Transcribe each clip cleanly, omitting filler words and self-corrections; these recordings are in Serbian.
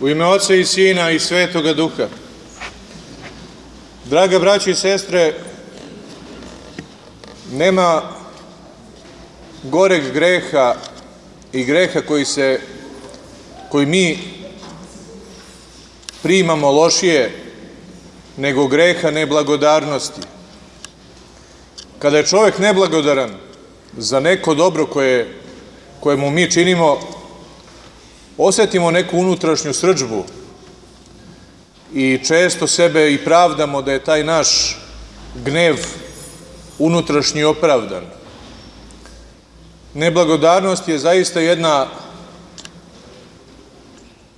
U ime Oca i Sina i Svetoga Duha. Draga braćo i sestre, nema goreg greha i greha koji mi primamo lošije nego greha neblagodarnosti. Kada je čovjek neblagodaran za neko dobro koje mu mi činimo, osjetimo neku unutrašnju srdžbu i često sebe i pravdamo da je taj naš gnev unutrašnji opravdan. Neblagodarnost je zaista jedna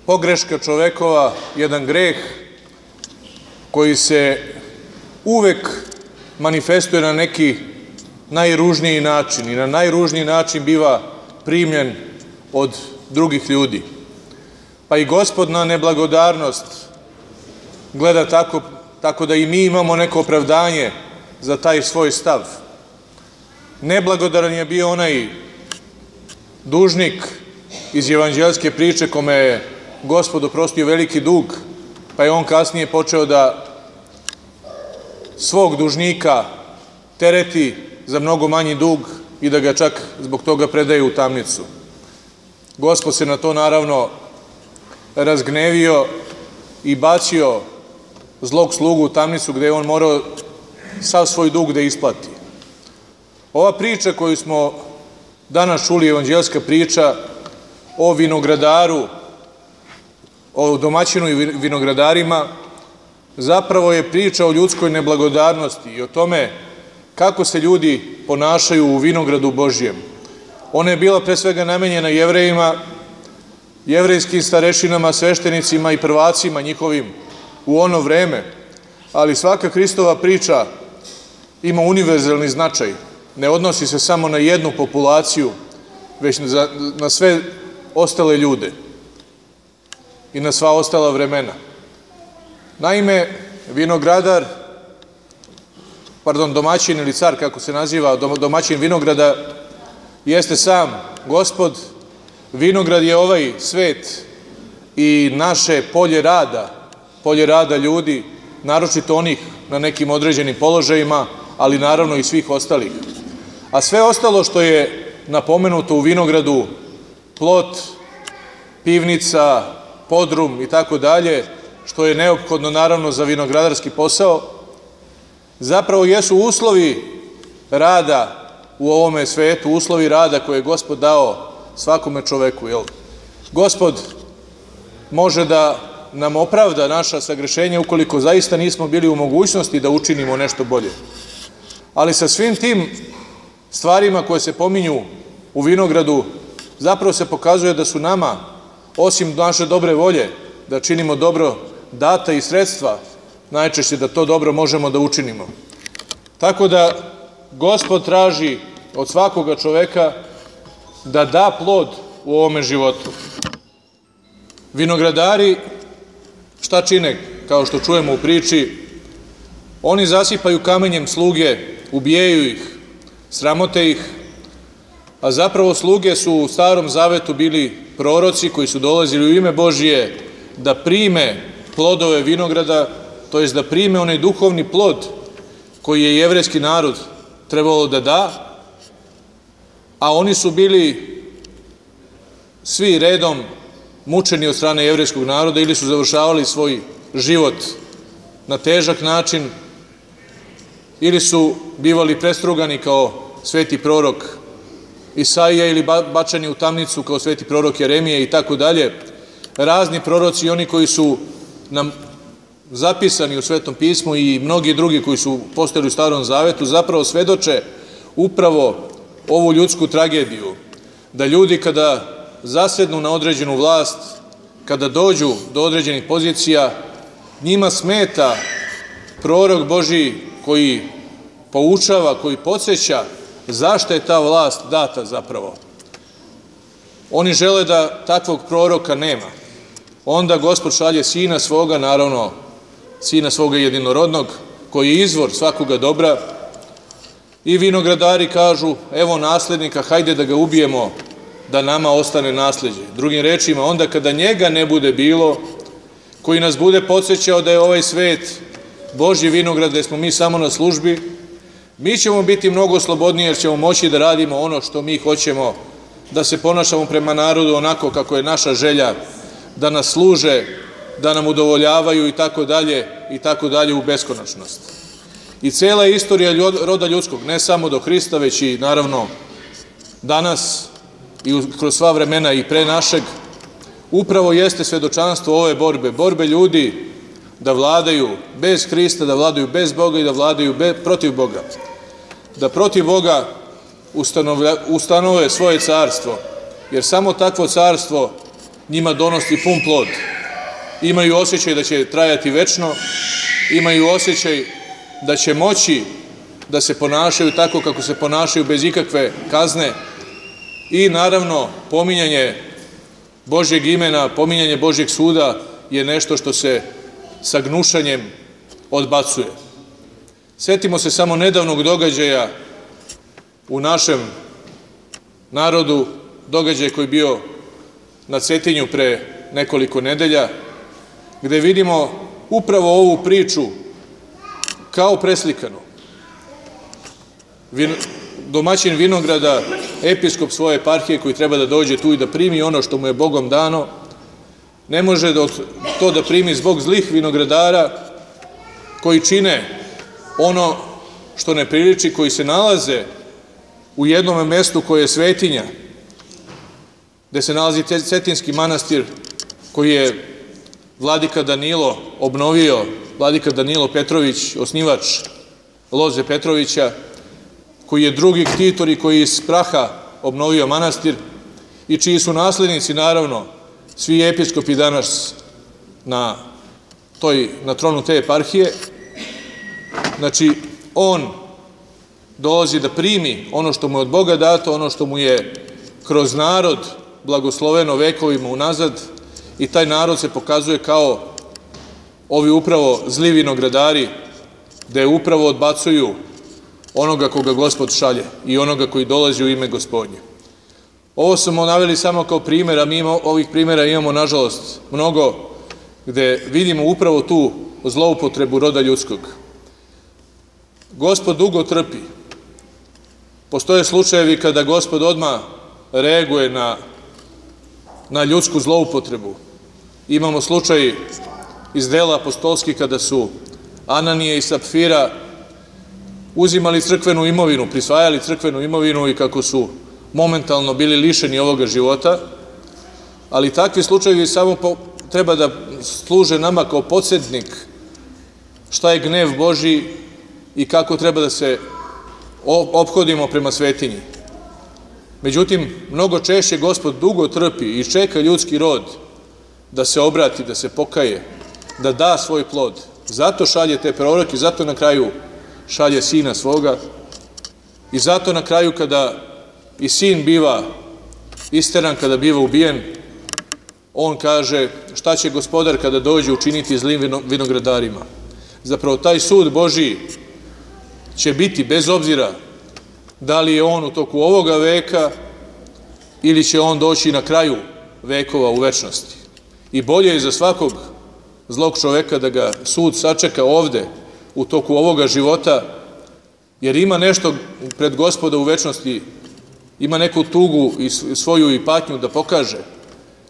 pogreška čovekova, jedan greh koji se uvek manifestuje na neki najružniji način i na najružniji način biva primljen od drugih ljudi. Pa i Gospod na neblagodarnost gleda tako da i mi imamo neko opravdanje za taj svoj stav. Neblagodaran je bio onaj dužnik iz evanđeljske priče kome je Gospod oprostio veliki dug, pa je on kasnije počeo da svog dužnika tereti za mnogo manji dug i da ga čak zbog toga predaje u tamnicu. Gospod se na to naravno razgnevio i bacio zlog slugu u tamnicu gde je on morao sav svoj dug da isplati. Ova priča koju smo danas čuli, evanđeljska priča o vinogradaru, o domaćinu i vinogradarima, zapravo je priča o ljudskoj neblagodarnosti i o tome kako se ljudi ponašaju u vinogradu Božjem. Ona je bila pre svega namenjena Jevrejima, jevrejskim starešinama, sveštenicima i prvacima njihovim u ono vreme, ali svaka Hristova priča ima univerzalni značaj. Ne odnosi se samo na jednu populaciju, već na sve ostale ljude i na sva ostala vremena. Naime, domaćin ili car, kako se naziva, domaćin vinograda, jeste sam Gospod. Vinograd je ovaj svet i naše polje rada ljudi, naročito onih na nekim određenim položajima, ali naravno i svih ostalih. A sve ostalo što je napomenuto u vinogradu, plot, pivnica, podrum i tako dalje, što je neophodno naravno za vinogradarski posao, zapravo jesu uslovi rada u ovome svetu, uslovi rada koje je Gospod dao svakome čoveku. Gospod može da nam opravda naša sagrešenja ukoliko zaista nismo bili u mogućnosti da učinimo nešto bolje. Ali sa svim tim stvarima koje se pominju u vinogradu, zapravo se pokazuje da su nama, osim naše dobre volje, da činimo dobro, data i sredstva, najčešće da to dobro možemo da učinimo. Tako da Gospod traži od svakoga čoveka da da plod u ovome životu. Vinogradari šta čine, kao što čujemo u priči? Oni zasipaju kamenjem sluge, ubijaju ih, sramote ih, a zapravo sluge su u Starom Zavetu bili proroci koji su dolazili u ime Božije da prime plodove vinograda, to jest da prime onaj duhovni plod koji je jevrejski narod trebalo da da, a oni su bili svi redom mučeni od strane jevrejskog naroda ili su završavali svoj život na težak način ili su bivali prestrugani kao sveti prorok Isaija ili bačeni u tamnicu kao sveti prorok Jeremije i tako dalje. Razni proroci i oni koji su nam zapisani u Svetom pismu i mnogi drugi koji su postojali u Starom Zavetu zapravo svedoče upravo ovu ljudsku tragediju, da ljudi kada zasednu na određenu vlast, kada dođu do određenih pozicija, njima smeta prorok Božji koji poučava, koji podsjeća zašto je ta vlast data zapravo. Oni žele da takvog proroka nema. Onda Gospod šalje sina svoga, naravno sina svoga jedinorodnog, koji je izvor svakoga dobra, i vinogradari kažu, evo naslednika, hajde da ga ubijemo, da nama ostane nasleđe. Drugim rečima, onda kada njega ne bude bilo, koji nas bude podsjećao da je ovaj svet Božji vinograd, gde smo mi samo na službi, mi ćemo biti mnogo slobodniji jer ćemo moći da radimo ono što mi hoćemo, da se ponašamo prema narodu onako kako je naša želja, da nas služe, da nam udovoljavaju i tako dalje u beskonačnost. I cela istorija roda ljudskog, ne samo do Hrista, već i naravno danas i kroz sva vremena i pre našeg, upravo jeste svedočanstvo ove borbe ljudi da vladaju bez Hrista, da vladaju bez Boga i da vladaju protiv Boga. Da protiv Boga ustanove svoje carstvo, jer samo takvo carstvo njima donosi pun plod. Imaju osjećaj da će trajati večno, imaju osjećaj da će moći da se ponašaju tako kako se ponašaju bez ikakve kazne i naravno pominjanje Božjeg imena, pominjanje Božjeg suda je nešto što se sa gnušanjem odbacuje. Sjetimo se samo nedavnog događaja u našem narodu, događaj koji je bio na Cetinju pre nekoliko nedelja, gde vidimo upravo ovu priču kao preslikanu. Domaćin vinograda, episkop svoje eparhije koji treba da dođe tu i da primi ono što mu je Bogom dano, ne može to da primi zbog zlih vinogradara koji čine ono što ne priliči, koji se nalaze u jednom mestu koje je svetinja, gde se nalazi Cetinski manastir koji je vladika Danilo obnovio, vladika Danilo Petrović, osnivač loze Petrovića, koji je drugi ktitor i koji iz praha obnovio manastir i čiji su naslednici, naravno, svi episkopi danas na tronu te eparhije. Znači, on dolazi da primi ono što mu je od Boga dato, ono što mu je kroz narod blagosloveno vekovima unazad, i taj narod se pokazuje kao ovi upravo zli vinogradari, gde upravo odbacuju onoga koga Gospod šalje i onoga koji dolazi u ime Gospodnje. Ovo smo naveli samo kao primer, a mi ovih primera imamo, nažalost, mnogo, gde vidimo upravo tu zloupotrebu roda ljudskog. Gospod dugo trpi. Postoje slučajevi kada Gospod odmah reaguje na ljudsku zloupotrebu. Imamo slučaj iz dela apostolskih kada su Ananije i Sapfira uzimali crkvenu imovinu, prisvajali crkvenu imovinu i kako su momentalno bili lišeni ovoga života, ali takvi slučajevi samo treba da služe nama kao podsjetnik šta je gnev Božji i kako treba da se ophodimo prema svetinji. Međutim, mnogo češće Gospod dugo trpi i čeka ljudski rod da se obrati, da se pokaje, da da svoj plod. Zato šalje te proroke, zato na kraju šalje sina svoga i zato na kraju kada i sin biva isteran, kada biva ubijen, on kaže šta će Gospodar kada dođe učiniti zlim vinogradarima. Zapravo taj sud Božji će biti bez obzira da li je on u toku ovoga veka ili će on doći na kraju vekova u večnosti. I bolje je za svakog zlog čoveka da ga sud sačeka ovde u toku ovoga života, jer ima nešto pred Gospoda u večnosti, ima neku tugu i svoju i patnju da pokaže,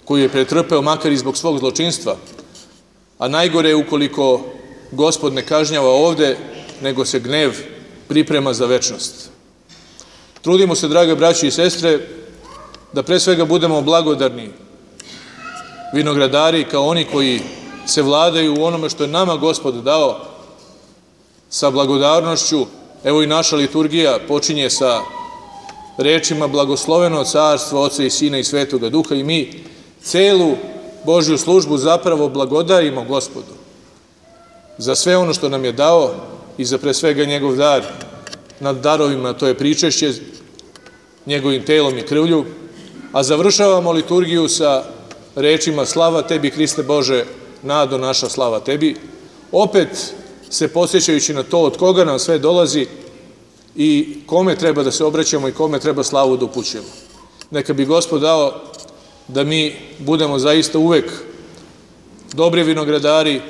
koju je pretrpeo makar i zbog svog zločinstva, a najgore je ukoliko Gospod ne kažnjava ovde, nego se gnev priprema za večnost. Trudimo se, drage braće i sestre, da pre svega budemo blagodarni vinogradari kao oni koji se vladaju u onome što je nama Gospod dao sa blagodarnošću. Evo i naša liturgija počinje sa rečima blagosloveno carstvo Oca i Sina i Svetoga Duha i mi celu Božju službu zapravo blagodarimo Gospodu za sve ono što nam je dao i za pre svega njegov dar nad darovima, to je pričešće njegovim telom i krvlju, a završavamo liturgiju sa rečima slava tebi Hriste Bože, nado naša slava tebi, opet se podsjećajući na to od koga nam sve dolazi i kome treba da se obraćamo i kome treba slavu da upućujemo. Neka bi Gospod dao da mi budemo zaista uvek dobri vinogradari,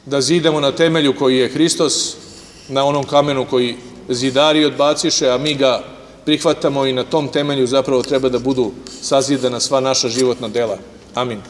da zidamo na temelju koji je Hristos, na onom kamenu koji zidari odbaciše, a mi ga prihvatamo i na tom temelju zapravo treba da budu sazidana sva naša životna dela. Amin.